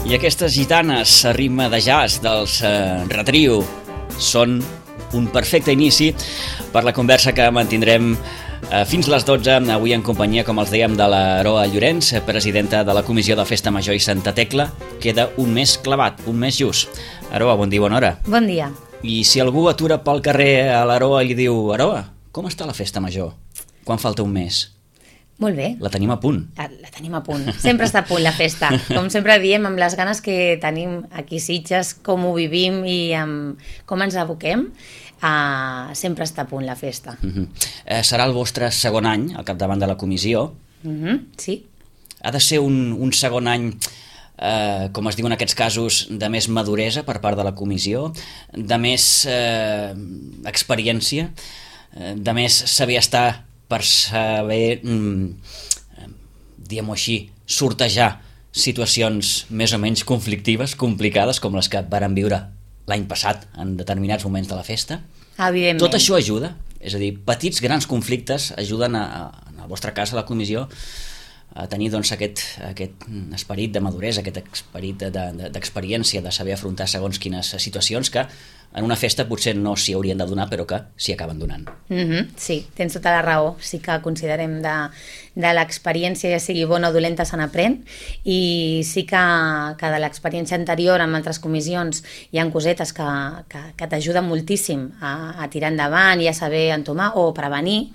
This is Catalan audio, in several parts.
I aquestes gitanes a ritme de jazz dels Retrio són un perfecte inici per la conversa que mantindrem fins les 12, avui en companyia, com els dèiem, de l'Aroa Llorenç, presidenta de la Comissió de Festa Major i Santa Tecla. Queda un mes clavat, un mes just. Aroa, bon dia, bona hora. Bon dia. I si algú atura pel carrer a l'Aroa i li diu: Aroa, com està la festa major? Quan falta un mes? Molt bé. La tenim a punt. La tenim a punt. Sempre està a punt la festa. Com sempre diem, amb les ganes que tenim aquí a Sitges, com ho vivim i com ens aboquem, sempre està a punt la festa. Serà el vostre segon any al capdavant de la comissió. Sí. Ha de ser un segon any, com es diu en aquests casos, de més maduresa per part de la comissió, de més experiència, de més saber estar per saber, diguem-ho així, sortejar situacions més o menys conflictives, complicades, com les que vàrem viure l'any passat en determinats moments de la festa. Evidentment. Tot això ajuda, és a dir, petits, grans conflictes ajuden en el vostre cas, a la comissió, a tenir doncs, aquest esperit de maduresa, aquest esperit d'experiència, de saber afrontar segons quines situacions que en una festa potser no s'hi haurien de donar, però que s'hi acaben donant. Sí, tens tota la raó. Sí que considerem de l'experiència, ja sigui bona o dolenta, se n'aprèn, i sí que de l'experiència anterior en altres comissions hi ha cosetes que t'ajuden moltíssim a tirar endavant i a saber entomar o prevenir,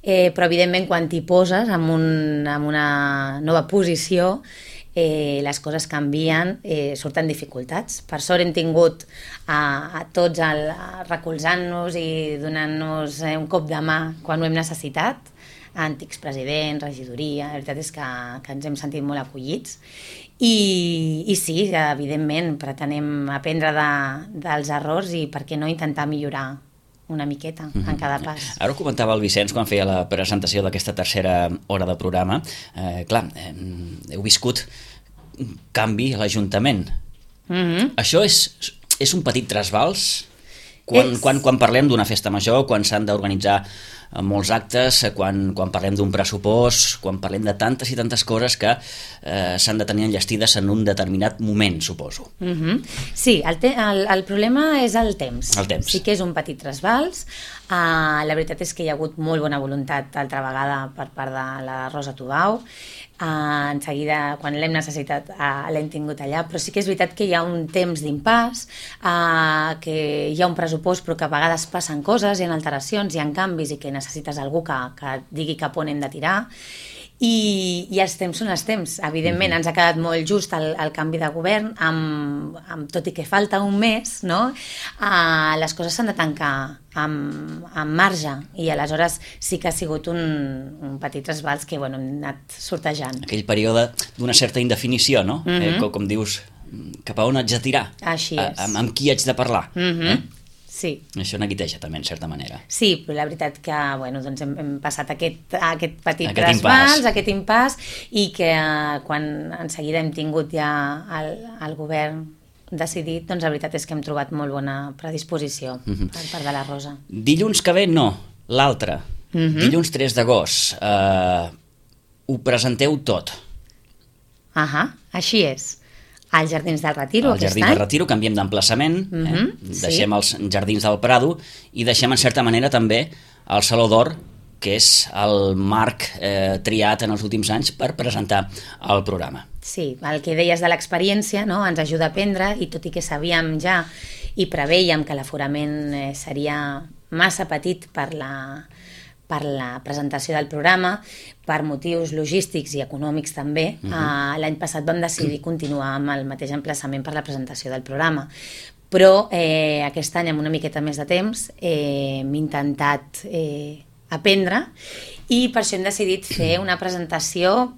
però evidentment quan t'hi poses en una nova posició, les coses canvien, surten dificultats. Per sort hem tingut a tots recolzant-nos i donant-nos un cop de mà quan ho hem necessitat, antics presidents, regidoria. La veritat és que ens hem sentit molt acollits i sí, evidentment pretenem aprendre dels errors i per què no intentar millorar una miqueta en cada pas. Ara ho comentava el Vicenç quan feia la presentació d'aquesta tercera hora de programa. Clar, heu viscut un canvi a l'Ajuntament. Això és un petit trasbals? Quan parlem d'una festa major, quan s'han d'organitzar molts actes, quan parlem d'un pressupost, quan parlem de tantes i tantes coses que s'han de tenir enllestides en un determinat moment, suposo. Sí, el problema és el temps. El temps. Sí que és un petit trasbals. La veritat és que hi ha hagut molt bona voluntat altra vegada per part de la Rosa Tubau. En seguida, quan l'hem necessitat, l'hem tingut allà, però sí que és veritat que hi ha un temps d'impàs, que hi ha un pressupost però que a vegades passen coses, hi ha alteracions, hi ha canvis i que necessites algú que digui cap on hem de tirar, i els temps són els temps. Evidentment ens ha quedat molt just el canvi de govern, tot i que falta un mes, no? Les coses s'han de tancar amb marge, i aleshores sí que ha sigut un petit trasbals que hem anat sortejant. Aquell període d'una certa indefinició, no? Com dius, cap a on haig de tirar? Així és. Amb qui haig de parlar? Sí. Això neguiteja també, en certa manera. Sí, però la veritat que doncs hem passat aquest petit trasbals, aquest impàs, i que quan en seguida hem tingut ja el govern decidit, doncs la veritat és que hem trobat molt bona predisposició per part de la Rosa. Dilluns que ve no, l'altre. Dilluns 3 d'agost. Ho presenteu tot. Així és. Als Jardins del Retiro aquest any. Al Jardins del Retiro, canviem d'emplaçament, deixem els Jardins del Prado i deixem en certa manera també el Saló d'Or, que és el marc triat en els últims anys per presentar el programa. Sí, el que deies de l'experiència, no? Ens ajuda a aprendre, i tot i que sabíem ja i preveiem que l'aforament seria massa petit per la presentació del programa, per motius logístics i econòmics també, l'any passat vam decidir continuar amb el mateix emplaçament per la presentació del programa. Però aquest any, amb una miqueta més de temps, hem intentat aprendre, i per això hem decidit fer una presentació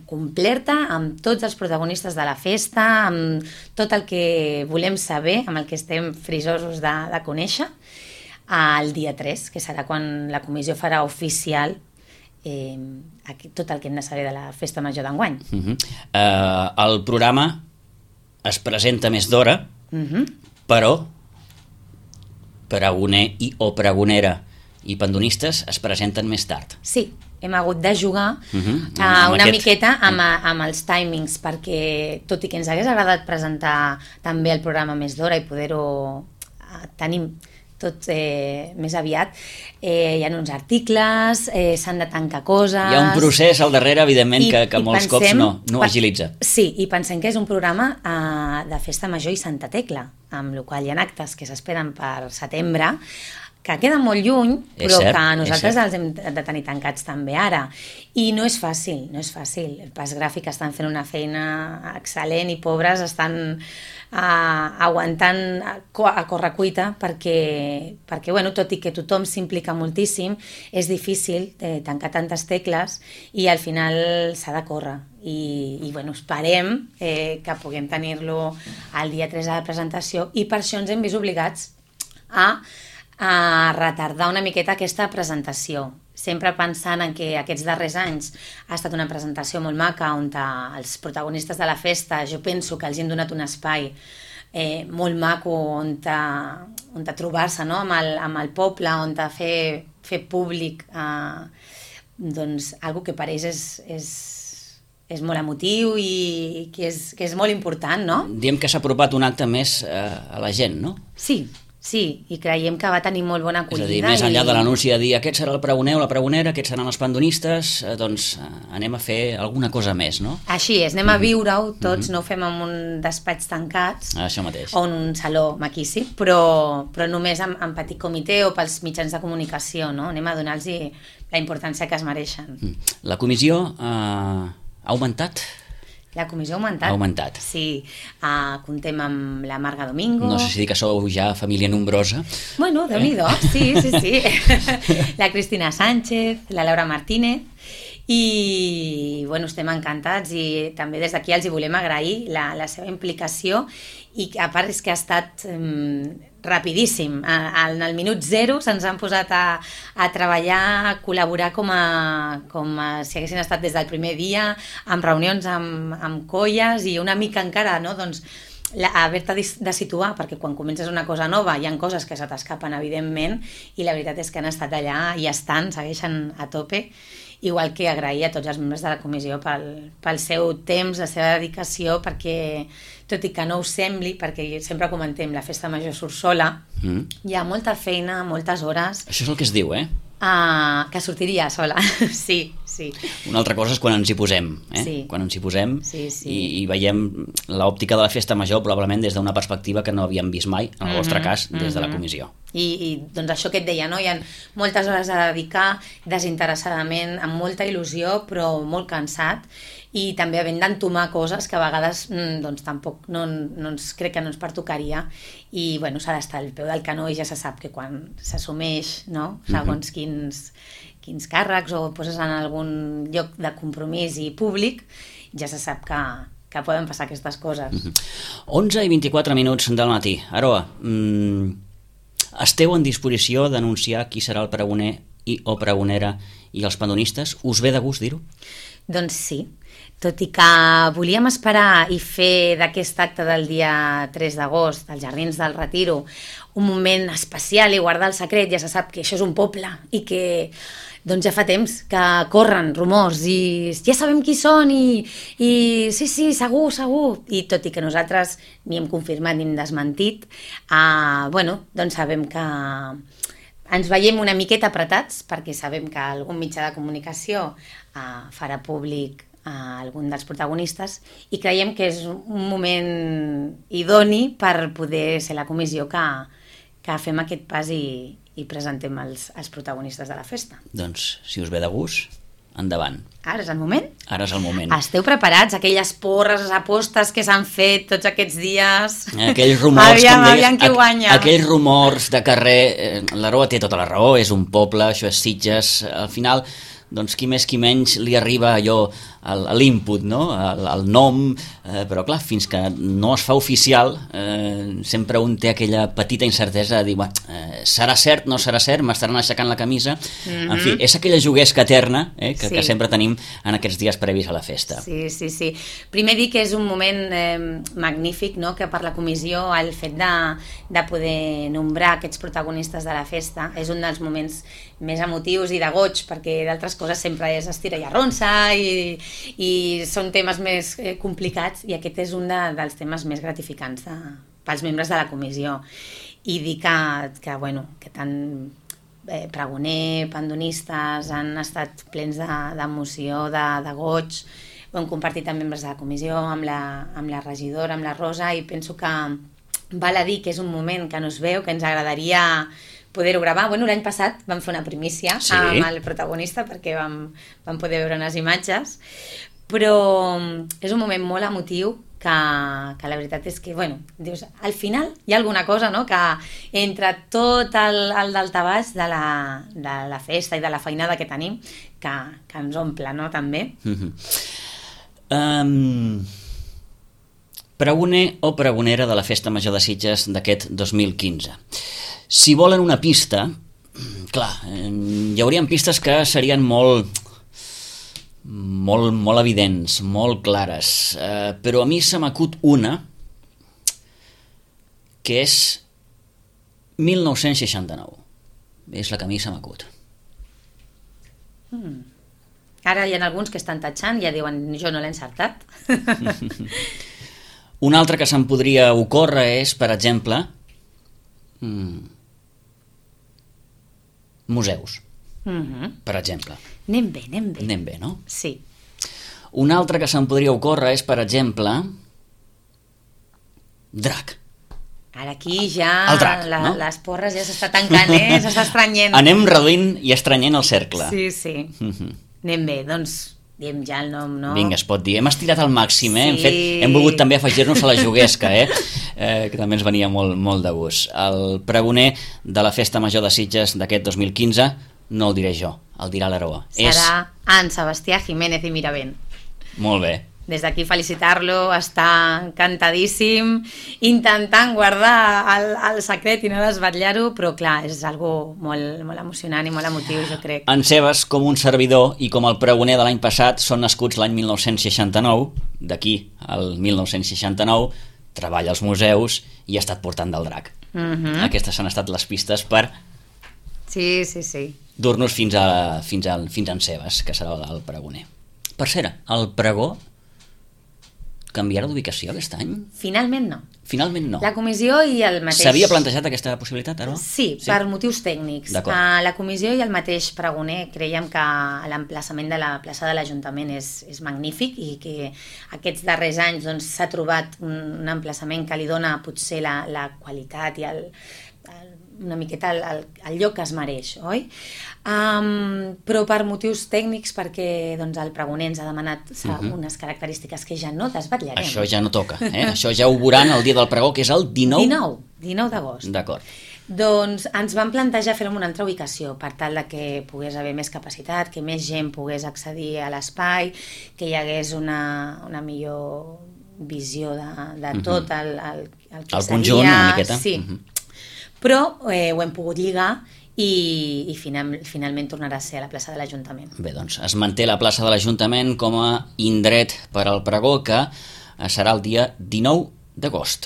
completa amb tots els protagonistes de la festa, amb tot el que volem saber, amb el que estem frisosos de conèixer, el dia 3, que serà quan la comissió farà oficial tot el que hem de saber de la festa major d'enguany. El programa es presenta més d'hora, però pregoner o pregonera i pandonistes es presenten més tard. Sí, hem hagut de jugar Amb miqueta amb els timings, perquè tot i que ens hagués agradat presentar també el programa més d'hora i poder-ho tenir tot més aviat, hi ha uns articles, s'han de tancar coses... Hi ha un procés al darrere, evidentment, que molts cops no agilitza. Sí, i pensem que és un programa de Festa Major i Santa Tecla, amb el qual hi ha actes que s'esperen per setembre, que queda molt lluny, però que nosaltres els hem de tenir tancats també ara. I no és fàcil, no és fàcil. El Pas Gràfic estan fent una feina excel·lent i pobres estan aguantant a correcuita perquè bueno, tot i que tothom s'implica moltíssim, és difícil tancar tantes tecles i al final s'ha de córrer. I bueno, esperem que puguem tenir-lo el dia 3 de la presentació i per això ens hem vist obligats a retardar una miqueta aquesta presentació, sempre pensant en que aquests darrers anys ha estat una presentació molt maca on els protagonistes de la festa, jo penso que els hem donat un espai molt maco on trobar-se, no? amb el poble, on fer públic doncs, algo que per ells és molt emotiu i que és molt important, no? Diem que s'ha apropat un acte més a la gent, no? Sí, i creiem que va tenir molt bona acollida. És a dir, més enllà de l'anunci de dir aquest serà el pregoner o la pregonera, aquests seran els pandonistes, doncs anem a fer alguna cosa més, no? Així és, anem a viure-ho tots, no ho fem en un despatx tancats, això mateix. O en un saló maquíssim, però només en petit comitè o pels mitjans de comunicació, no? Anem a donar-los la importància que es mereixen. La comissió ha augmentat? La comissió ha augmentat. Sí, comptem amb la Marga Domingo. No sé si dir que sou ja família nombrosa. Bueno, Déu-n'hi-do, sí. La Cristina Sánchez, la Laura Martínez, i bueno, estem encantats i també des d'aquí els hi volem agrair la seva implicació i a part és que ha estat rapidíssim. En el minut 0 se'ns han posat a treballar, a col·laborar com si haguessin estat des del primer dia, amb reunions amb colles i una mica encara, no? Doncs haver-te de situar, perquè quan comences una cosa nova hi ha coses que se t'escapen, evidentment, i la veritat és que han estat allà i segueixen a tope. Igual que agrair a tots els membres de la comissió pel seu temps, la seva dedicació, perquè, tot i que no ho sembli, perquè sempre comentem, la festa major surt sola, hi ha molta feina, moltes hores... Això és el que es diu, que sortiria sola, sí. Una altra cosa és quan ens hi posem, quan ens hi posem i veiem l'òptica de la festa major probablement des d'una perspectiva que no havíem vist mai, en el vostre cas, des de la comissió. I doncs això que et deia, no? Hi ha moltes hores a dedicar desinteressadament, amb molta il·lusió, però molt cansat, i també havent d'entomar coses que a vegades doncs tampoc crec que no ens pertocaria, i bueno, s'ha d'estar al peu del canó i ja se sap que quan s'assumeix, no? Segons quins càrrecs o poses en algun lloc de compromís i públic, ja se sap que poden passar aquestes coses. 11 i 24 minuts del matí. Aroa, esteu en disposició d'anunciar qui serà el pregoner o pregonera i els pandonistes? Us ve de gust dir-ho? Doncs sí, tot i que volíem esperar i fer d'aquest acte del dia 3 d'agost, als Jardins del Retiro, un moment especial i guardar el secret. Ja se sap que això és un poble i que doncs ja fa temps que corren rumors i ja sabem qui són i sí, segur. I tot i que nosaltres ni hem confirmat ni hem desmentit, bueno, doncs sabem que ens veiem una miqueta apretats perquè sabem que algun mitjà de comunicació farà públic algun dels protagonistes i creiem que és un moment idoni per poder ser la comissió que fem aquest pas i presentem els protagonistes de la festa. Doncs, si us ve de gust, endavant. Ara és el moment? Ara és el moment. Esteu preparats? Aquelles porres, apostes que s'han fet tots aquests dies? Aquells rumors, aviam qui guanya. Aquells rumors de carrer, l'Aroa té tota la raó, és un poble, això és Sitges, al final doncs qui més qui menys li arriba allò a l'input, no? Al nom, però clar, fins que no es fa oficial sempre un té aquella petita incertesa de dir, serà cert, no serà cert, m'estaran aixecant la camisa, en fi, és aquella juguesca eterna que sempre tenim en aquests dies previs a la festa. Sí. Primer dir que és un moment magnífic, no?, que per la comissió el fet de poder nombrar aquests protagonistes de la festa és un dels moments més emotius i de goig, perquè d'altres coses sempre és estira i arronsa i són temes més complicats, i aquest és un dels temes més gratificants pels membres de la comissió. I dir que tant pregoner, pandonistes han estat plens d'emoció, de goig. Ho hem compartit amb membres de la comissió, amb la regidora, amb la Rosa, i penso que val a dir que és un moment que no es veu, que ens agradaria poder-ho gravar. L'any passat vam fer una primícia amb el protagonista perquè vam poder veure unes imatges, però és un moment molt emotiu que la veritat és que, dius, al final hi ha alguna cosa, no?, que entre tot el daltabaix de la festa i de la feinada que tenim, que ens omple, no?, també. Pregoner o pregonera de la Festa Major de Sitges d'aquest 2015. Si volen una pista, clar, hi haurien pistes que serien molt evidents, molt clares, però a mi se m'acut una que és 1969. És la que a mi se m'acut. Ara hi ha alguns que estan tatxant i ja diuen, jo no l'he encertat. Un altre que se'm podria ocórrer és, per exemple, museus, per exemple. Anem bé. Anem bé, no? Sí. Un altre que se'm podria ocórrer és, per exemple, drac. Ara aquí ja el drac, no? Les porres ja s'està tancant, s'està estrenyent. Anem reduint i estrenyent el cercle. Sí. Anem bé, doncs diem ja el nom, no? Vinga, es pot dir. Hem estirat al màxim, Sí. Hem volgut també afegir-nos a la juguesca, que també ens venia molt de gust. El pregoner de la Festa Major de Sitges d'aquest 2015 no el diré jo, el dirà l'Aroa. Serà en Sebastià Jiménez i Miravent. Molt bé. Des d'aquí felicitar-lo, està encantadíssim, intentant guardar el secret i no desvetllar-ho, però clar, és algo molt emocionant i molt emotiu, jo crec. En Sebas, com un servidor i com el pregoner de l'any passat, són nascuts l'any 1969, d'aquí al 1969, treballa als museus i ha estat portant del drac. Aquestes han estat les pistes per Sí. dur-nos fins a en Sebas, que serà el pregoner. Per cert, el pregó canviarà d'ubicació aquest any? Finalment no. La comissió i el mateix... S'havia plantejat aquesta possibilitat, Aroa? Sí, per motius tècnics. La comissió i el mateix pregoner creiem que l'emplaçament de la plaça de l'Ajuntament és magnífic i que aquests darrers anys s'ha trobat un emplaçament que li dona potser la qualitat i una miqueta el lloc que es mereix, oi? Però per motius tècnics, perquè el pregoner ens ha demanat unes característiques que ja no desvetllarem. Això ja no toca, Això ja ho veuran el dia del pregó, que és el 19 d'agost. D'acord. Doncs ens vam plantejar fer-ho en una altra ubicació per tal de que pogués haver més capacitat, que més gent pogués accedir a l'espai, que hi hagués una millor visió de tot el que el conjunt, una miqueta. Sí. Però ho hem pogut lligar i finalment tornarà a ser a la plaça de l'Ajuntament. Bé, doncs es manté la plaça de l'Ajuntament com a indret per al pregó, que serà el dia 19 d'agost.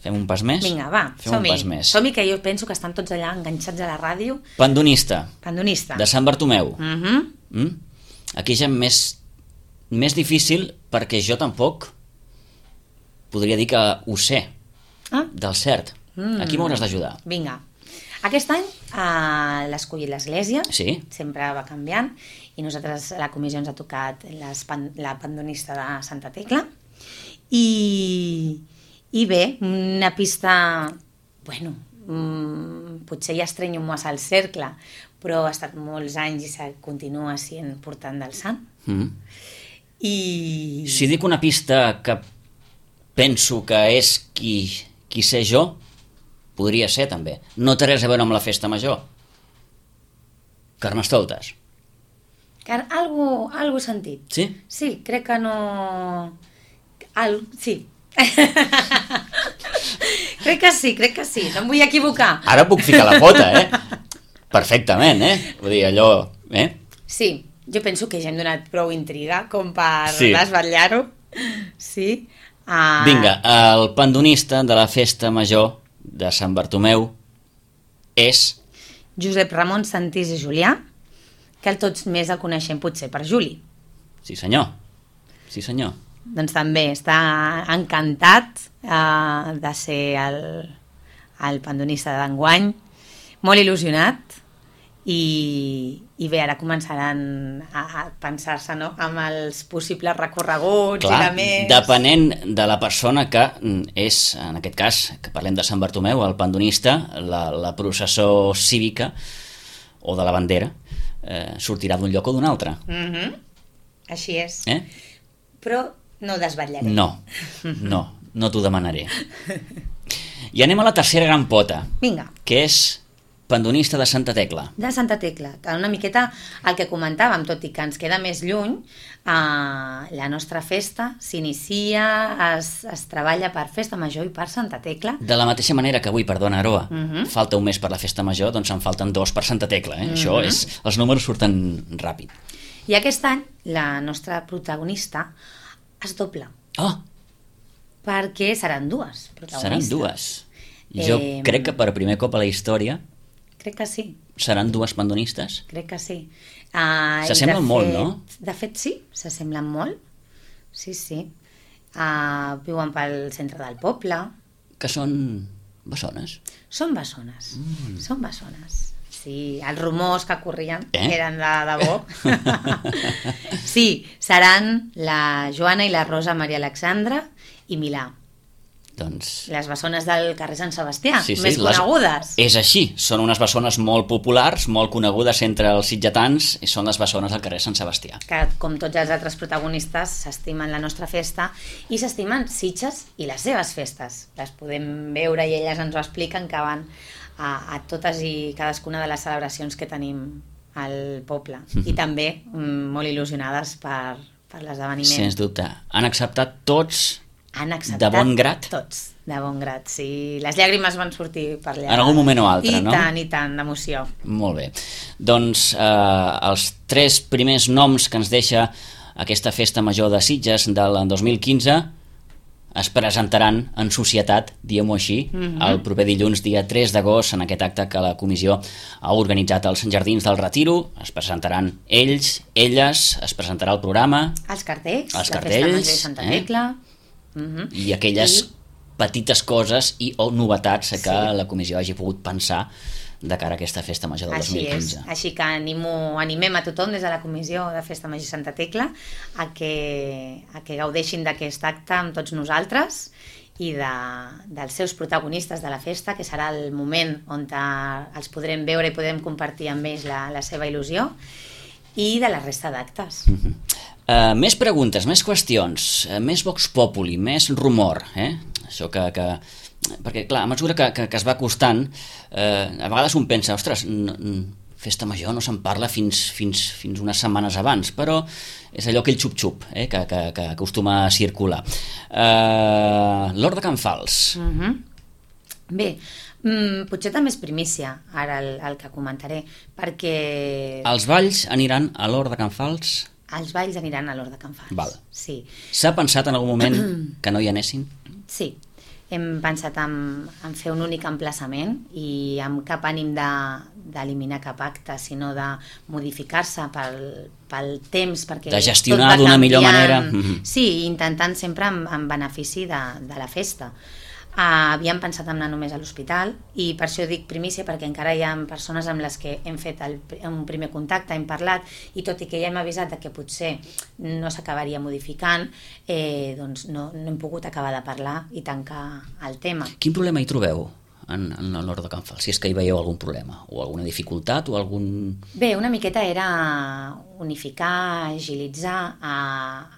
Fem un pas més? Vinga, va, som-hi, que jo penso que estan tots allà enganxats a la ràdio. Pandonista. De Sant Bartomeu. Aquí ja més difícil, perquè jo tampoc podria dir que ho sé. Del cert. Aquí m'hauràs d'ajudar. Vinga. Aquest any l'ha escollit l'Església, sempre va canviant, i nosaltres a la comissió ens ha tocat la pandonista de Santa Tecla, i bé, una pista, potser ja estrenyo massa el cercle, però ha estat molts anys i continua sent portant del sant. Si dic una pista que penso que és qui sé jo, podria ser també. No té res a veure amb la festa major. Carnestoltes. Algo sentit. Sí? Sí, crec que no... Sí. crec que sí, no em vull equivocar. Ara puc ficar la pota, Perfectament, Vull dir, allò... Sí, jo penso que ja hem donat prou intriga com per Sí. desvetllar-ho. Sí. Vinga, el pandonista de la festa major de Sant Bartomeu és... Josep Ramon Santís i Julià, que tots més el coneixem potser per Juli. Sí, senyor. Sí, senyor. Doncs també està encantat de ser el pandonista d'enguany, molt il·lusionat, i bé, ara començaran a pensar-se, no?, amb els possibles recorreguts. Clar, i de més... depenent de la persona que és, en aquest cas, que parlem de Sant Bartomeu, el pandonista, la processó cívica o de la bandera sortirà d'un lloc o d'un altre. Així és. Però no desvetllaré. No t'ho demanaré. I anem a la tercera gran pota. Vinga. Que és pandonista de Santa Tecla. De Santa Tecla, que una miqueta el que comentàvem, tot i que ens queda més lluny, la nostra festa s'inicia, es treballa per Festa Major i per Santa Tecla. De la mateixa manera que avui, perdona, Aroa, falta un mes per la Festa Major, doncs en falten 2 per Santa Tecla. Això és... Els números surten ràpid. I aquest any la nostra protagonista es dobla. Oh! Perquè seran 2 protagonistes. Seran 2. Jo crec que per primer cop a la història crec que sí. Seran 2 pandonistes? Crec que sí. S'assemblen molt, no? De fet, sí, s'assemblen molt. Sí. Viuen pel centre del poble. Que són bessones? Són bessones. Són bessones. Sí, els rumors que corrien eren de debò. Sí, seran la Joana i la Rosa Maria Alexandra i Milà. Doncs... Les bessones del carrer Sant Sebastià, sí, més conegudes. És així, són unes bessones molt populars, molt conegudes entre els sitgetans, i són les bessones del carrer Sant Sebastià. Que, com tots els altres protagonistes, s'estimen la nostra festa i s'estimen Sitges i les seves festes. Les podem veure i elles ens ho expliquen, que van a totes i cadascuna de les celebracions que tenim al poble. I també molt il·lusionades per l'esdeveniment. Sens dubte. Han acceptat tots... Han acceptat de bon grat? Tots, de bon grat, sí. Les llàgrimes van sortir per allà. En algun moment o altre, no? I tant, d'emoció. Molt bé. Doncs els 3 primers noms que ens deixa aquesta festa major de Sitges del 2015 es presentaran en societat, diguem-ho així, el proper dilluns, dia 3 d'agost, en aquest acte que la comissió ha organitzat als Jardins del Retiro. Es presentaran ells, elles, es presentarà el programa. Els cartells, la Festa Major de Santa Tecla. I aquelles petites coses o novetats que la comissió hagi pogut pensar de cara a aquesta festa major del 2015. Així que animem a tothom des de la comissió de Festa Major Santa Tecla a que gaudeixin d'aquest acte amb tots nosaltres i dels seus protagonistes de la festa, que serà el moment on els podrem veure i podrem compartir amb ells la seva il·lusió, i de la resta d'actes. Més preguntes, més qüestions, més Vox Populi, més rumor, això que... Perquè, clar, a mesura que es va acostant, a vegades un pensa, ostres, festa major no se'n parla fins unes setmanes abans, però és allò aquell xup-xup que acostuma a circular. L'Hort de Can Fals. Bé, potser també és primícia, ara el que comentaré, perquè... Els balls aniran a l'Hort de Can Fals? Els balls aniran a l'Hort de Can Fals. Val. Sí. S'ha pensat en algun moment que no hi anessin? Sí. Hem pensat en fer un únic emplaçament i amb cap ànim d'eliminar cap acte, sinó de modificar-se pel temps, perquè de gestionar d'una millor manera. Sí, intentant sempre en benefici de la festa. Havíem pensat en anar només a l'hospital i per això dic primícia, perquè encara hi ha persones amb les que hem fet un primer contacte, hem parlat, i tot i que ja hem avisat que potser no s'acabaria modificant, doncs no hem pogut acabar de parlar i tancar el tema. Quin problema hi trobeu en l'Hort de Can Fals? Si és que hi veieu algun problema o alguna dificultat o algun... Bé, una miqueta era unificar, agilitzar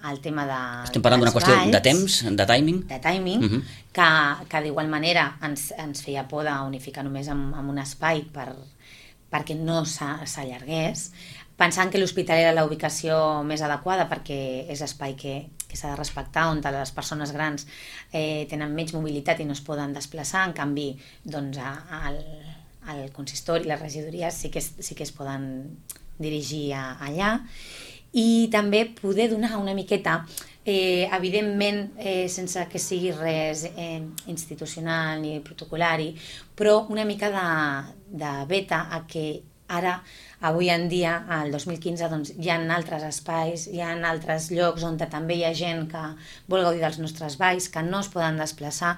el tema de... Estem parlant d'una qüestió de temps, de timing? De timing, que d'igual manera ens feia por d'unificar només en un espai per perquè no s'allargués, pensant que l'hospital era la ubicació més adequada perquè és espai que s'ha de respectar, on les persones grans tenen menys mobilitat i no es poden desplaçar, en canvi doncs, al consistori, les regidories sí que es poden dirigir allà, i també poder donar una miqueta, evidentment sense que sigui res institucional ni protocolari, però una mica de beta a que ara, avui en dia, al 2015, doncs, hi ha altres espais, hi ha altres llocs on també hi ha gent que vol gaudir dels nostres balls, que no es poden desplaçar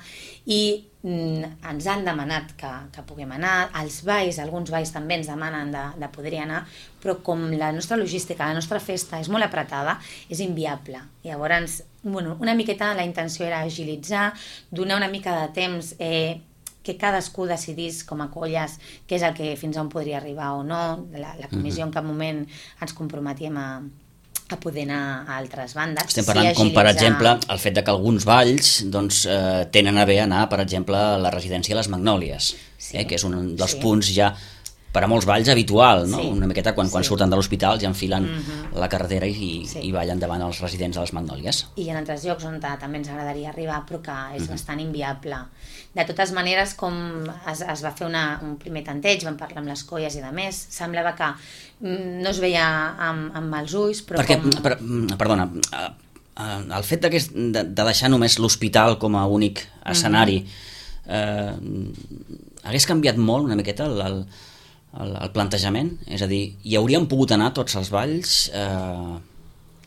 i ens han demanat que puguem anar. Els balls, alguns balls també ens demanen de poder-hi anar, però com la nostra logística, la nostra festa és molt apretada, és inviable. Llavors, una miqueta la intenció era agilitzar, donar una mica de temps que cadascú decidís com a colles què és el que fins on podria arribar o no. La comissió en cap moment ens comprometíem a poder anar a altres bandes. Estem parlant com, per exemple, el fet que alguns balls doncs, tenen a bé anar, per exemple, a la residència de les Magnòlies, que és un dels punts ja per a molts balls habitual, no? Una miqueta quan surten de l'hospital ja enfilen la carretera i ballen davant els residents de les Magnòlies. I en altres llocs on també ens agradaria arribar, però que és bastant inviable. De totes maneres, com es va fer un primer tanteig, vam parlar amb les colles i de més, semblava que no es veia amb els ulls, però Perdona, el fet de deixar només l'hospital com a únic escenari hagués canviat molt una miqueta el plantejament? És a dir, hi hauríem pogut anar tots els balls?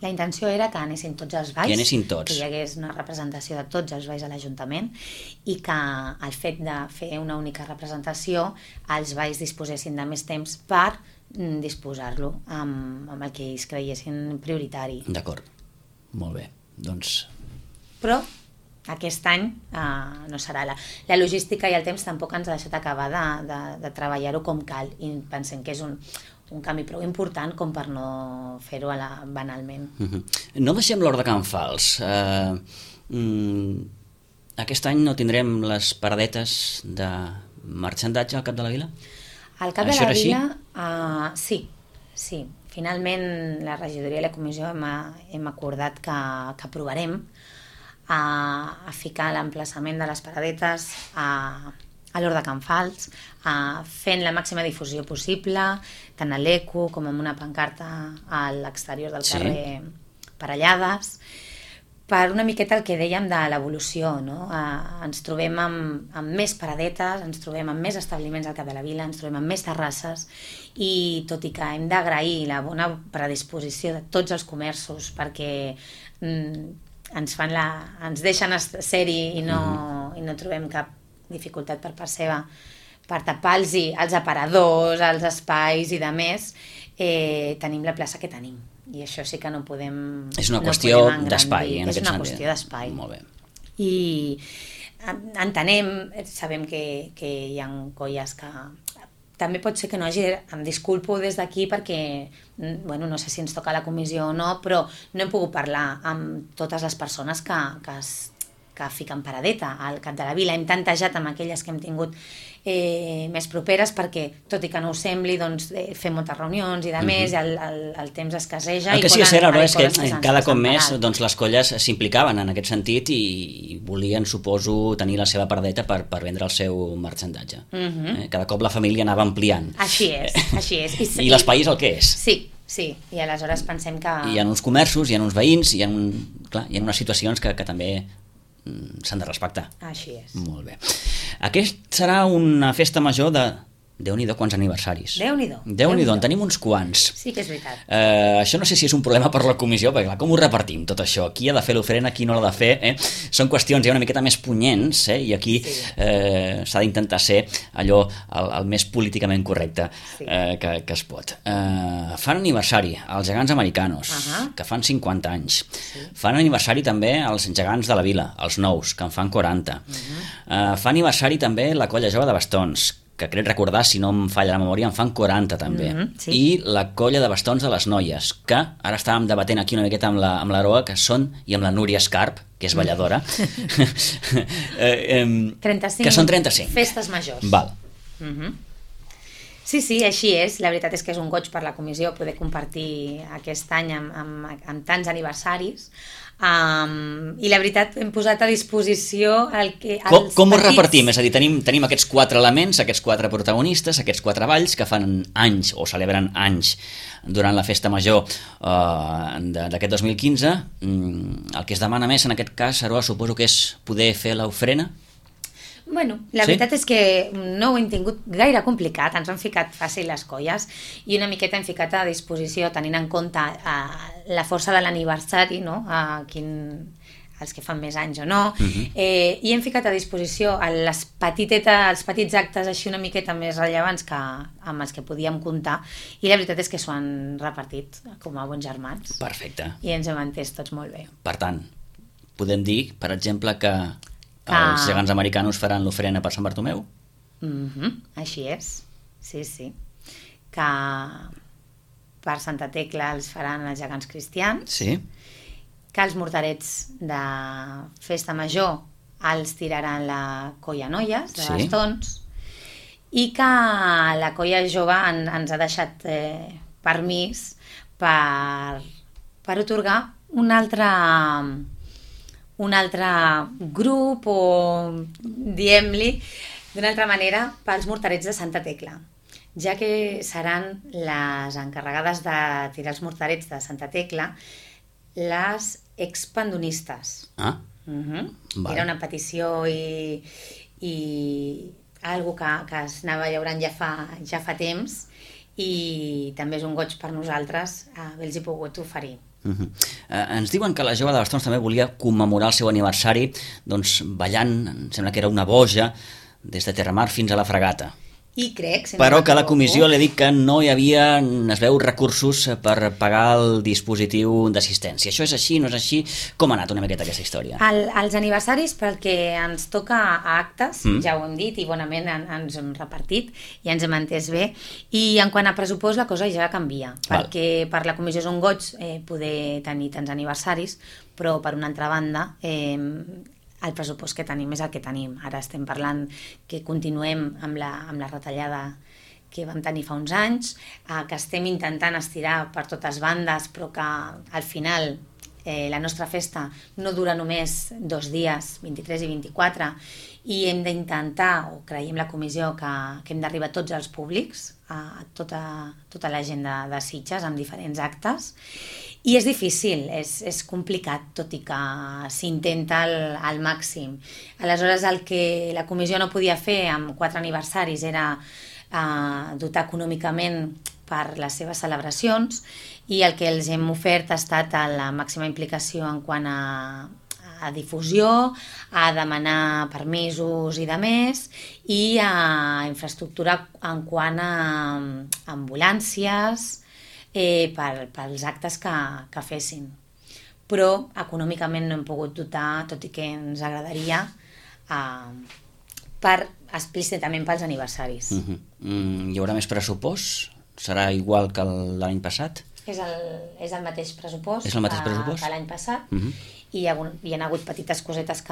La intenció era que anessin tots els balls, que anessin tots, que hi hagués una representació de tots els balls a l'Ajuntament i que el fet de fer una única representació els balls disposessin de més temps per disposar-lo amb el que ells creiessin prioritari. D'acord, molt bé. Doncs... Però aquest any no serà. La logística i el temps tampoc ens ha deixat acabar de treballar-ho com cal i pensem que és un canvi prou important com per no fer-ho banalment. No deixem l'Hort de Can Fals. Aquest any no tindrem les paradetes de marxandatge al Cap de la Vila? Al Cap de la Vila, sí. Finalment la regidoria i la comissió hem acordat que aprovarem a ficar l'emplaçament de les paradetes a l'Hort de Can Fals, fent la màxima difusió possible, tant a l'ECO com amb una pancarta a l'exterior del carrer Parellades, per una miqueta el que dèiem de l'evolució, no? Ens trobem amb més paradetes, ens trobem amb més establiments al Cap de la Vila, ens trobem amb més terrasses i tot i que hem d'agrair la bona predisposició de tots els comerços perquè ens deixen ser-hi i no trobem cap dificultat per part seva per tapar-los els aparadors, els espais i de més, tenim la plaça que tenim i això sí que no podem... És una qüestió d'espai, en aquest sentit. És una qüestió d'espai. Molt bé. I entenem, sabem que hi ha colles que... També pot ser que no hagi... Em disculpo des d'aquí perquè no sé si ens toca la comissió o no, però no hem pogut parlar amb totes les persones que fiquen paradeta al Cap de la Vila. Hem tantejat amb aquelles que hem tingut més properes perquè, tot i que no ho sembli, doncs, fem moltes reunions i de més, i el temps escasseja. El que sí és cert, és que cada cop més doncs, les colles s'implicaven en aquest sentit i volien, suposo, tenir la seva paradeta per vendre el seu marxandatge. Cada cop la família anava ampliant. Així és. I l'espai és el que és. Sí, i aleshores pensem que... Hi ha uns comerços, hi ha uns veïns, hi ha unes situacions que també s'han de respectar. Així és. Molt bé. Aquest serà una festa major de... Déu-n'hi-do, quants aniversaris. Déu-n'hi-do, en tenim uns quants. Sí que és veritat. Això no sé si és un problema per la comissió, perquè clar, com ho repartim tot això? Qui ha de fer l'oferenda, qui no l'ha de fer? Són qüestions ja una miqueta més punyents, i aquí s'ha d'intentar ser allò el més políticament correcte que es pot. Fan aniversari els gegants americanos, que fan 50 anys. Fan aniversari també els gegants de la Vila, els nous, que en fan 40. Fa aniversari també la colla jove de bastons, que crec recordar, si no em falla la memòria, en fan 40 també. I la colla de bastons de les noies, que ara estàvem debatent aquí una miqueta amb l'Aroa, que són, i amb la Núria Escarp, que és balladora, 35 que són 35. Festes majors. Val. Sí, sí, així és. La veritat és que és un goig per la comissió poder compartir aquest any amb tants aniversaris. I la veritat hem posat a disposició com ho repartim? És a dir, tenim aquests 4 elements, aquests 4 protagonistes, aquests 4 balls que fan anys o celebren anys durant la festa major d'aquest 2015. El que es demana més en aquest cas, Aroa, suposo que és poder fer l'ofrena. Bueno, la veritat és que no ho hem tingut gaire complicat, ens han ficat fàcil les colles i una miqueta hem ficat a disposició, tenint en compte la força de l'aniversari, no? Els que fan més anys o no, i hem ficat a disposició els petits actes així una miqueta més rellevants amb els que podíem comptar, i la veritat és que s'ho han repartit com a bons germans. Perfecte. I ens hem entès tots molt bé. Per tant, podem dir, per exemple, que els gegants americanos faran l'ofrena per Sant Bartomeu? Així és, sí, sí. Que per Santa Tecla els faran els gegants cristians. Sí. Que els morterets de festa major els tiraran la colla noies de bastons, i que la colla jove ens ha deixat permís per otorgar un altre grup, o diem-li d'una altra manera, pels morterets de Santa Tecla, ja que seran les encarregades de tirar els morterets de Santa Tecla les expandonistes. Era una petició i algo que es anava llaurant ja fa temps, i també és un goig per nosaltres haver-los pogut oferir. Ens diuen que la jove de Bastons també volia commemorar el seu aniversari ballant, em sembla que era una boja, des de Terramar fins a la Fragata. I crec, però que la comissió li ha dit que no hi havia, es veu, recursos per pagar el dispositiu d'assistència. Això és així, no és així? Com ha anat una miqueta aquesta història? Els aniversaris, pel que ens toca a actes, ja ho hem dit i bonament ens hem repartit i ens hem entès bé, i en quant a pressupost la cosa ja canvia, perquè per la comissió és un goig poder tenir tants aniversaris, però per una altra banda el pressupost que tenim és el que tenim. Ara estem parlant que continuem amb la retallada que vam tenir fa uns anys, que estem intentant estirar per totes bandes, però que al final la nostra festa no dura només 2 dies, 23 i 24, i hem d'intentar, o creiem la comissió, que hem d'arribar a tots els públics, a tota la gent de Sitges, amb diferents actes. I és difícil, és complicat, tot i que s'intenta al màxim. Aleshores, el que la comissió no podia fer amb 4 aniversaris era dotar econòmicament per les seves celebracions, i el que els hem ofert ha estat la màxima implicació en quant a difusió, a demanar permisos i de més, i a infraestructura en quant a ambulàncies, pels actes que fessin. Però econòmicament no hem pogut dotar, tot i que ens agradaria, explícitament pels aniversaris. Hi haurà més pressupost? Serà igual que l'any passat? És el mateix pressupost que l'any passat, i hi ha hagut petites cosetes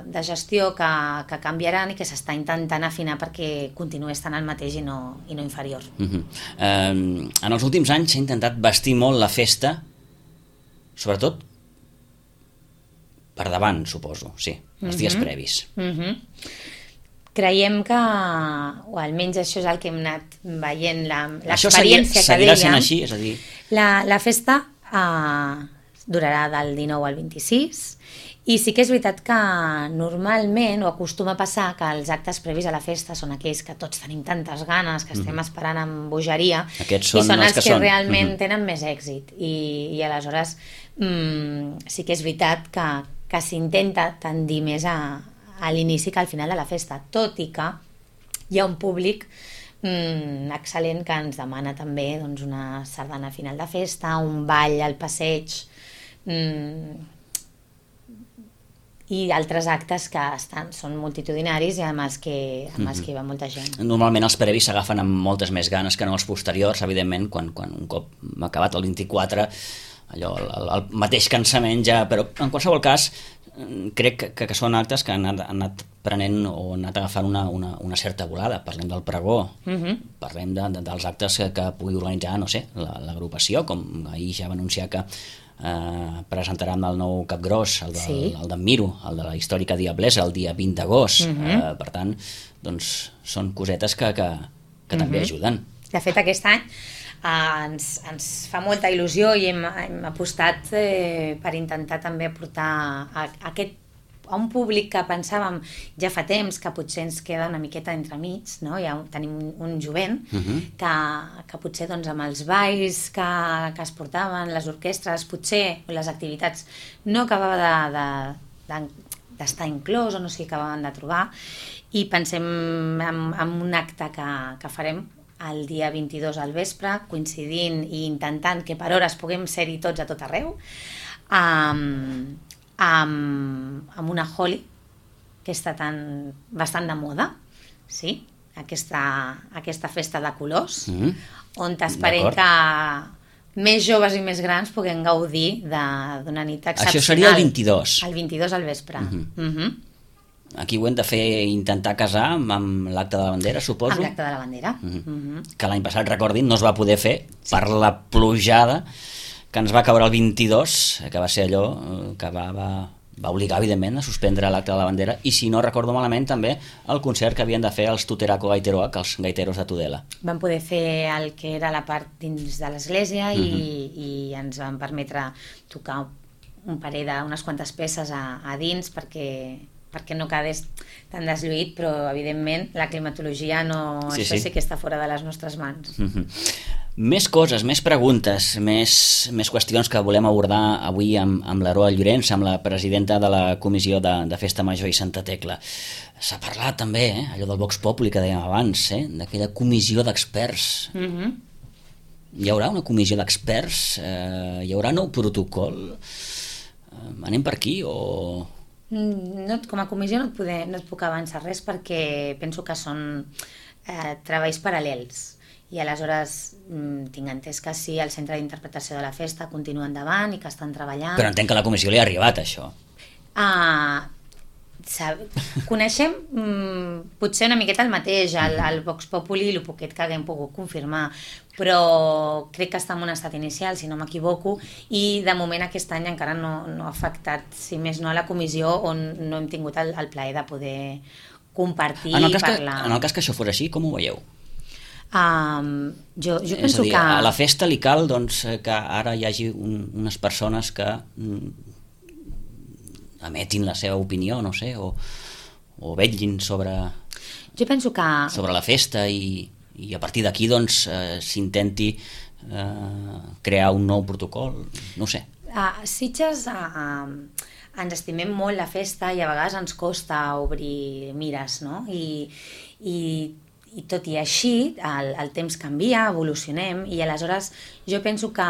de gestió que canviaran i que s'està intentant afinar perquè continuï estant el mateix i no inferior. En els últims anys s'ha intentat vestir molt la festa, sobretot per davant, suposo, sí, els dies previs. Creiem que, o almenys això és el que hem anat veient, l'experiència que dèiem. Seguirà sent així? És a dir... La festa durarà del 19 al 26, i sí que és veritat que normalment, o acostuma a passar, que els actes previs a la festa són aquells que tots tenim tantes ganes, que estem esperant amb bogeria, i són els que realment tenen més èxit. I aleshores sí que és veritat que s'intenta tendir més a l'inici que al final de la festa, tot i que hi ha un públic excel·lent que ens demana també una sardana final de festa, un ball al passeig, i altres actes que són multitudinaris i amb els que hi va molta gent. Normalment els previs s'agafen amb moltes més ganes que no els posteriors, evidentment, quan un cop m'ha acabat el 24, allò, el mateix cansament ja, però en qualsevol cas crec que són actes que han anat prenent o han anat agafant una certa volada. Parlem del pregó, parlem dels actes que pugui organitzar, no sé, l'agrupació, com ahir ja va anunciar que presentaran el nou Capgròs, el d'en Miro, el de la històrica Diablesa, el dia 20 d'agost. Per tant, doncs, són cosetes que també ajuden. De fet, aquest any ens fa molta il·lusió i hem apostat per intentar també portar a un públic que pensàvem ja fa temps que potser ens queda una miqueta entremig, no? Ja tenim un jovent que potser doncs, amb els balls que es portaven, les orquestres, potser les activitats no acabava d'estar inclòs o no s'hi acabaven de trobar, i pensem en un acte que farem el dia 22 al vespre, coincidint i intentant que per hores puguem ser-hi tots a tot arreu, amb una Holi que està bastant de moda, sí? Aquesta festa de colors, on esperem que més joves i més grans puguem gaudir d'una nit excepcional. Això seria el 22? El 22 al vespre. Aquí ho hem de fer, intentar casar amb l'acte de la bandera, suposo? Amb l'acte de la bandera. Que l'any passat, recordin, no es va poder fer per la plujada que ens va caure el 22, que va ser allò que va obligar, evidentment, a suspendre l'acte de la bandera, i si no recordo malament, també el concert que havien de fer els Tuteraco Gaiteroak, els gaiteros de Tudela. Van poder fer el que era la part dins de l'església i ens van permetre tocar un parell d'unes quantes peces a dins perquè no quedés tan deslluït, però evidentment la climatologia això sí que està fora de les nostres mans. Més coses, més preguntes, més qüestions que volem abordar avui amb l'Aroa Llorenç, amb la presidenta de la Comissió de Festa Major i Santa Tecla. S'ha parlat també, allò del Vox Populi que dèiem abans, d'aquella comissió d'experts. Hi haurà una comissió d'experts? Hi haurà nou protocol? Anem per aquí o... Com a comissió no et puc avançar res perquè penso que són treballs paral·lels i aleshores tinc entès que sí, el centre d'interpretació de la festa continua endavant i que estan treballant. Però entenc que a la comissió li ha arribat això. Coneixem potser una miqueta el mateix, el Vox Populi, el poquet que haguem pogut confirmar, però crec que està en un estat inicial, si no m'equivoco, i de moment aquest any encara no ha afectat, si més no, a la comissió, on no hem tingut el plaer de poder compartir i parlar. En el cas que això fos així, com ho veieu? Jo és penso a dir, que... a la festa li cal que ara hi hagi unes persones que emetin la seva opinió, no sé, o vetllin sobre la festa i a partir d'aquí s'intenti crear un nou protocol, no sé. A Sitges ens estimem molt la festa i a vegades ens costa obrir mires, no? I tot i així el temps canvia, evolucionem i aleshores jo penso que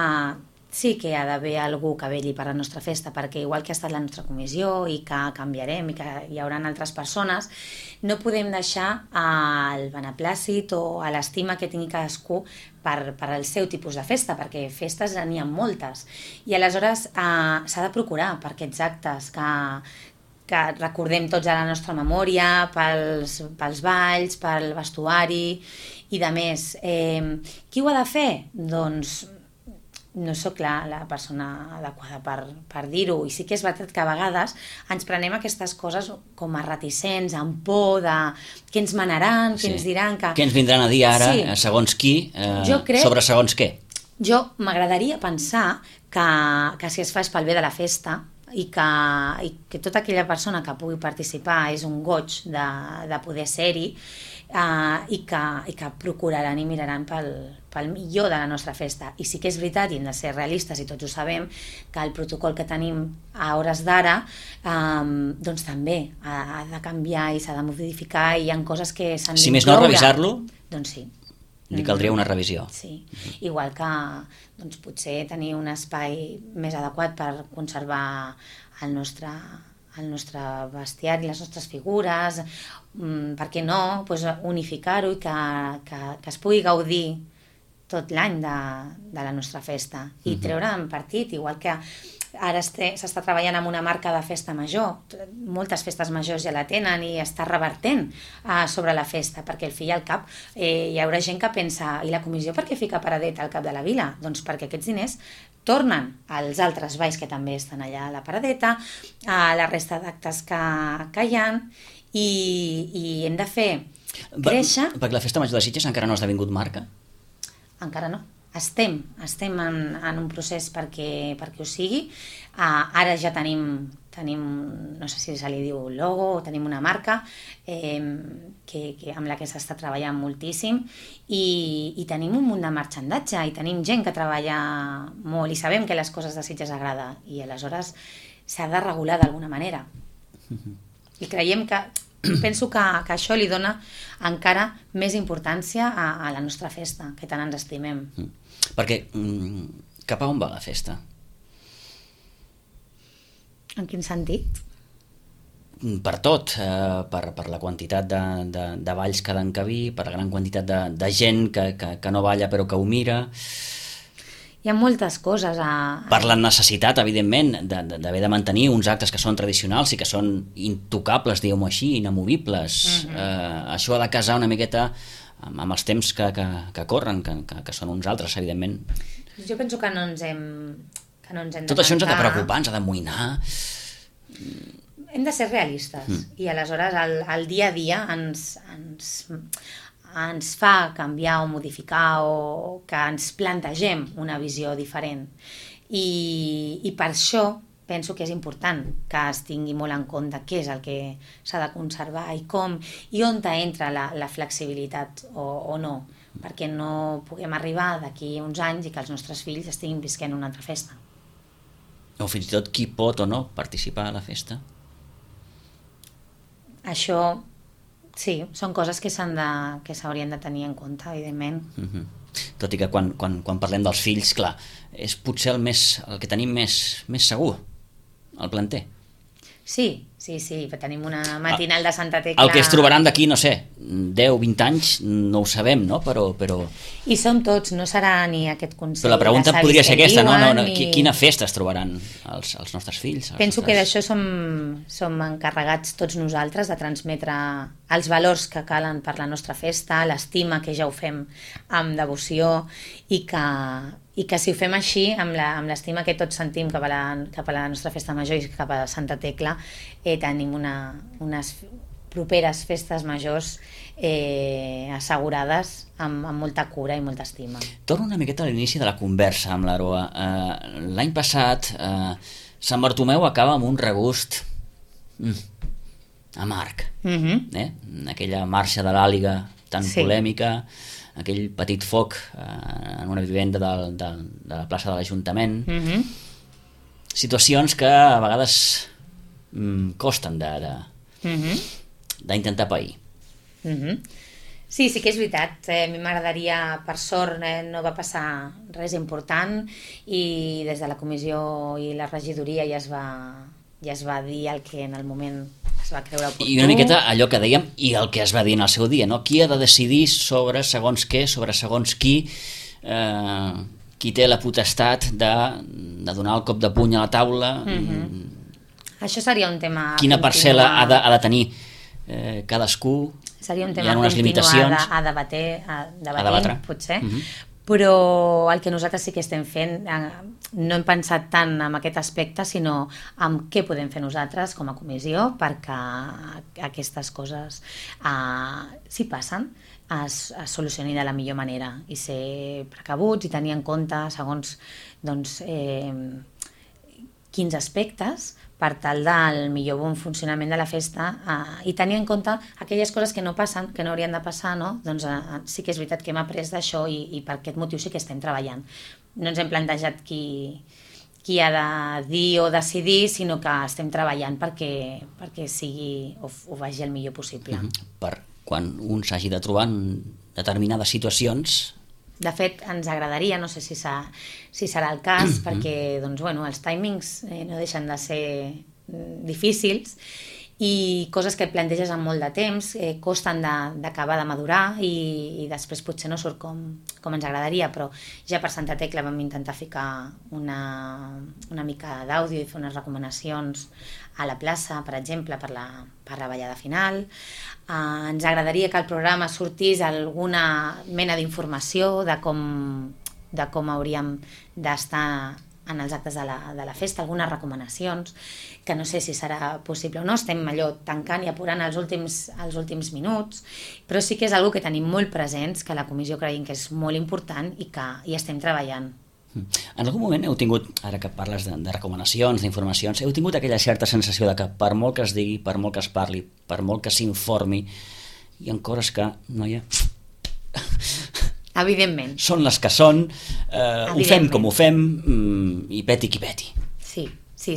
sí que hi ha d'haver algú que velli per la nostra festa, perquè igual que ha estat la nostra comissió i que canviarem i que hi haurà altres persones, no podem deixar al beneplàcit o a l'estima que tingui cadascú per al seu tipus de festa, perquè festes n'hi ha moltes. I aleshores s'ha de procurar per aquests actes que recordem tots a la nostra memòria, pels balls, pel vestuari i de més. Qui ho ha de fer? Doncs no sóc la persona adequada per dir-ho, i sí que és veritat que a vegades ens prenem aquestes coses com a reticents, amb por de què ens manaran, què ens diran... Què ens vindran a dir ara, segons qui, sobre segons què? Jo m'agradaria pensar que si es fa és pel bé de la festa i que tota aquella persona que pugui participar és un goig de poder ser-hi, i que procuraran i miraran pel millor de la nostra festa. I sí que és veritat, i hem de ser realistes i tots ho sabem, que el protocol que tenim a hores d'ara doncs també ha de canviar i s'ha de modificar i hi ha coses que s'han d'incloure. Si més no, revisar-lo? Doncs sí. Li caldria una revisió. Sí, igual que doncs, potser tenir un espai més adequat per conservar el nostre bestiari, les nostres figures, per què no, doncs unificar-ho i que es pugui gaudir tot l'any de la nostra festa i treure'n partit, igual que ara s'està treballant amb una marca de festa major, moltes festes majors ja la tenen i està revertent sobre la festa, perquè al fi i al cap hi haurà gent que pensa, i la comissió per què fica Paradeta al cap de la vila? Doncs perquè aquests diners tornen als altres balls que també estan allà a la Paradeta, a la resta d'actes que hi ha, i hem de fer créixer... Perquè la festa major de Sitges encara no ha esdevingut marca? Encara no. Estem en un procés perquè ho sigui. Ara ja tenim, no sé si se li diu logo, o tenim una marca amb la que s'està treballant moltíssim i tenim un munt de marxandatge i tenim gent que treballa molt i sabem que les coses de Sitges agrada i aleshores s'ha de regular d'alguna manera. I creiem que penso que això li dona encara més importància a la nostra festa, que tant ens estimem. Perquè cap a on va la festa? En quin sentit? Per tot, per la quantitat de balls que ha d'encabir, per la gran quantitat de gent que no balla però que ho mira... Hi ha moltes coses Per la necessitat, evidentment, d'haver de mantenir uns actes que són tradicionals i que són intocables, diguem-ho així, inamovibles. Això ha de casar una miqueta amb els temps que corren, que són uns altres, evidentment. Jo penso que no ens hem de Tot això ens ha de preocupar, ens ha d'amoïnar. Hem de ser realistes i aleshores el dia a dia ens fa canviar o modificar o que ens plantegem una visió diferent. I per això penso que és important que es tingui molt en compte què és el que s'ha de conservar i com, i on entra la flexibilitat o no, perquè no puguem arribar d'aquí uns anys i que els nostres fills estiguin visquent una altra festa. O fins i tot qui pot o no participar a la festa. Això... Sí, són coses que s'haurien de tenir en compte, evidentment. Tot i que quan parlem dels fills, clar, és potser el que tenim més segur, el planter. Sí, tenim una matinal de Santa Tecla... El que es trobaran d'aquí, no sé, 10, 20 anys, no ho sabem, no? Però... I som tots, no serà ni aquest consell... Però la pregunta podria ser aquesta, no? Quina festa es trobaran els nostres fills? Penso que d'això som encarregats tots nosaltres, de transmetre els valors que calen per la nostra festa, l'estima, que ja ho fem amb devoció, i que si ho fem així, amb l'estima que tots sentim cap a la nostra festa major i cap a Santa Tecla, tenim unes properes festes majors assegurades amb molta cura i molta estima. Torno una miqueta a l'inici de la conversa amb l'Aroa. L'any passat, Sant Bartomeu acaba amb un regust amarg. Aquella marxa de l'Àliga tan polèmica, aquell petit foc en una vivenda de la plaça de l'Ajuntament. Situacions que a vegades costen d'intentar pair. Sí que és veritat. A mi m'agradaria, per sort, no va passar res important i des de la comissió i la regidoria ja es va dir el que en el moment es va creure oportú. I una miqueta allò que dèiem i el que es va dir en el seu dia, no? Qui ha de decidir sobre segons què, sobre segons qui té la potestat de donar el cop de puny a la taula. Això seria un tema... Quina parcel·la ha de tenir cadascú? Seria un tema a debatre, potser. Però el que nosaltres sí que estem fent, no hem pensat tant en aquest aspecte, sinó en què podem fer nosaltres com a comissió perquè aquestes coses, si passen, es solucioni de la millor manera i ser precabuts i tenir en compte segons quins aspectes per tal del millor bon funcionament de la festa i tenir en compte aquelles coses que no passen, que no haurien de passar, no? Doncs sí que és veritat que hem après d'això i per aquest motiu sí que estem treballant. No ens hem plantejat qui ha de dir o decidir, sinó que estem treballant perquè sigui o vagi el millor possible. Per quan un s'hagi de trobar en determinades situacions... De fet, ens agradaria, no sé si serà el cas, perquè els timings no deixen de ser difícils i coses que planteges amb molt de temps costen d'acabar de madurar i després potser no surt com ens agradaria, però ja per Santa Tecla vam intentar ficar una mica d'àudio i fer unes recomanacions a la plaça, per exemple, per la ballada final. Ens agradaria que el programa sortís alguna mena d'informació de com hauríem d'estar en els actes de la festa, algunes recomanacions, que no sé si serà possible o no, estem allò tancant i apurant els últims minuts, però sí que és una que tenim molt presents, que la comissió creiem que és molt important i que hi estem treballant. En algun moment heu tingut, ara que parles de recomanacions, d'informacions, heu tingut aquella certa sensació de que per molt que es digui, per molt que es parli, per molt que s'informi, hi ha coses que no hi ha... Evidentment. Són les que són, ho fem com ho fem i peti qui peti. Sí,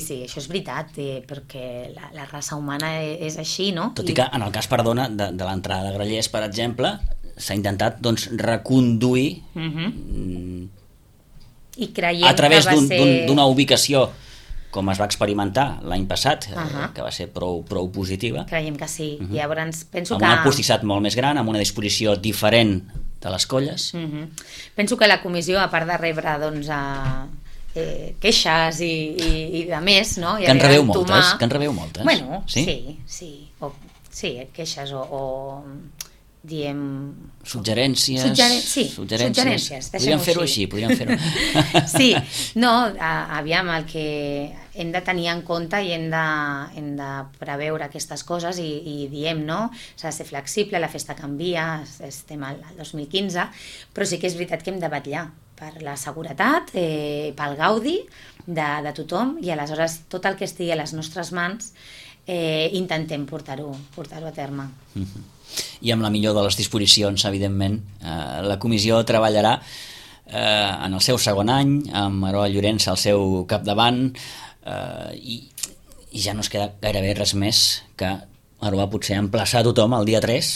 això és veritat, perquè la raça humana és així, no? Tot i que en el cas, perdona, de l'entrada de Grallers, per exemple, s'ha intentat reconduir i creiem a través que va ser... d'una ubicació com es va experimentar l'any passat, que va ser prou positiva. Creiem que sí. Llavors, penso amb un acustissat molt més gran, amb una disposició diferent de les colles. Penso que la comissió, a part de rebre queixes i de més, no? Que en rebeu moltes? Bueno, sí. Sí, queixes o diem... Suggerències. Podríem fer-ho així. Sí, no, aviam, el que hem de tenir en compte i hem de preveure aquestes coses i diem, no? S'ha de ser flexible, la festa canvia, estem al 2015, però sí que és veritat que hem de vetllar per la seguretat, pel gaudi de tothom, i aleshores tot el que estigui a les nostres mans intentem portar-ho a terme. I amb la millor de les disposicions, evidentment, la comissió treballarà en el seu segon any, amb Aroa Llorens al seu capdavant, i ja no es queda gairebé res més que Aroa potser emplaçar tothom el dia 3,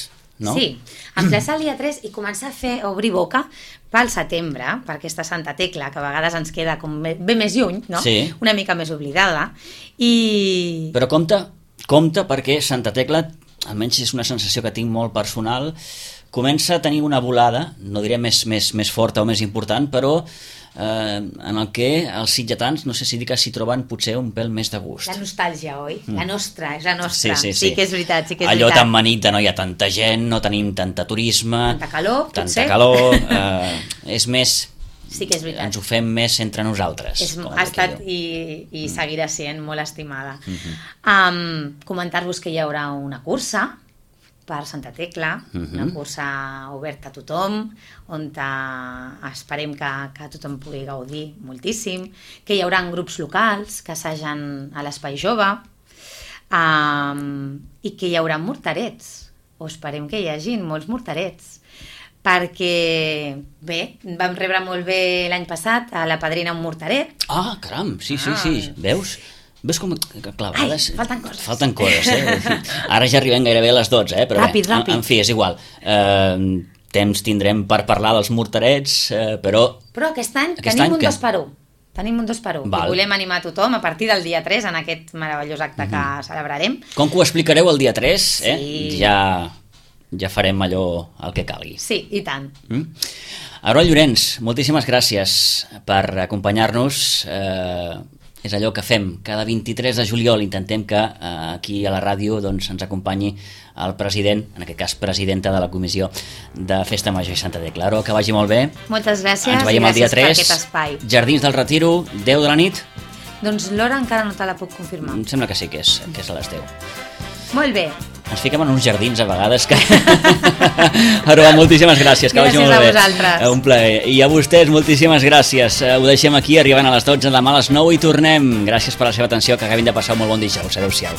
no? Sí, emplaçar el dia 3 i començar a obrir boca pel setembre, per aquesta Santa Tecla, que a vegades ens queda com bé més lluny, no? Sí. Una mica més oblidada. Però compte perquè Santa Tecla, almenys és una sensació que tinc molt personal, comença a tenir una volada, no diré més forta o més important, però en el que els sitgetans, no sé si dir que s'hi troben potser un pèl més de gust. La nostàlgia, oi? La nostra, és la nostra. Sí que és veritat, Allò tan manit, no hi ha tanta gent, no tenim tanta turisme, tanta calor, és més... Sí que és veritat. Ens ho fem més entre nosaltres. Ha estat i seguirà sent molt estimada. Comentar-vos que hi haurà una cursa per Santa Tecla, una cursa oberta a tothom, on esperem que tothom pugui gaudir moltíssim, que hi haurà grups locals que assagen a l'Espai Jove, i que hi haurà morterets, o esperem que hi hagin molts morterets, perquè, bé, vam rebre molt bé l'any passat a la padrina un morteret. Ah, caram, sí, veus? Veus com... Clar, a vegades... Falten coses. Ara ja arribem gairebé a les 12, però ràpid. En fi, és igual. Temps tindrem per parlar dels morterets, però... Però aquest any tenim un 2x1. Tenim un 2x1. I volem animar a tothom a partir del dia 3 en aquest meravellós acte que celebrarem. Com que ho explicareu el dia 3, ja farem allò el que calgui. Sí, i tant. Aroa Llorens, moltíssimes gràcies per acompanyar-nos. És allò que fem. Cada 23 de juliol intentem que aquí a la ràdio ens acompanyi el president, en aquest cas presidenta de la Comissió de Festa Major i Santa Tecla. Aroa, que vagi molt bé. Moltes gràcies. Ens veiem el dia 3. Per aquest espai. Jardins del Retiro, 10 de la nit. Doncs l'hora encara no te la puc confirmar. Em sembla que sí, que és a les 10. Molt bé. Ens fiquem en uns jardins a vegades que... Aroa, moltíssimes gràcies, que vagi molt bé. Gràcies a vosaltres. Un plaer. I a vostès, moltíssimes gràcies. Ho deixem aquí, arribant a les 12, demà a les 9 i tornem. Gràcies per la seva atenció, que acabin de passar un molt bon dijous. Adéu-siau.